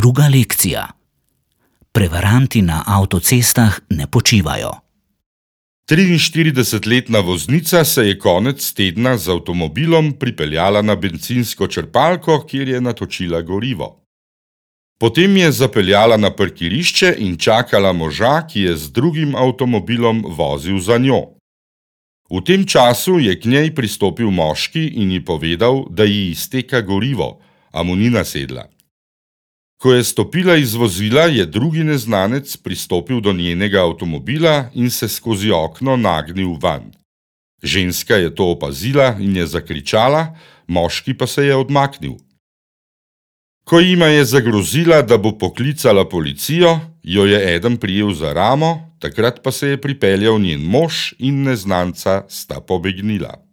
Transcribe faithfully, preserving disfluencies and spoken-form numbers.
Druga lekcija. Prevaranti na avtocestah ne počivajo. triinštiridesetletna voznica se je konec tedna z avtomobilom pripeljala na bencinsko črpalko, kjer je natočila gorivo. Potem je zapeljala na parkirišče in čakala moža, ki je z drugim avtomobilom vozil za njo. V tem času je k njej pristopil moški in ji povedal, da ji izteka gorivo, a mu ni nasedla. Ko je stopila iz vozila, je drugi neznanec pristopil do njenega avtomobila in se skozi okno nagnil vanj. Ženska je to opazila in je zakričala, moški pa se je odmaknil. Ko jima je zagrozila, da bo poklicala policijo, jo je eden prijel za ramo, takrat pa se je pripeljal njen mož in neznanca sta pobegnila.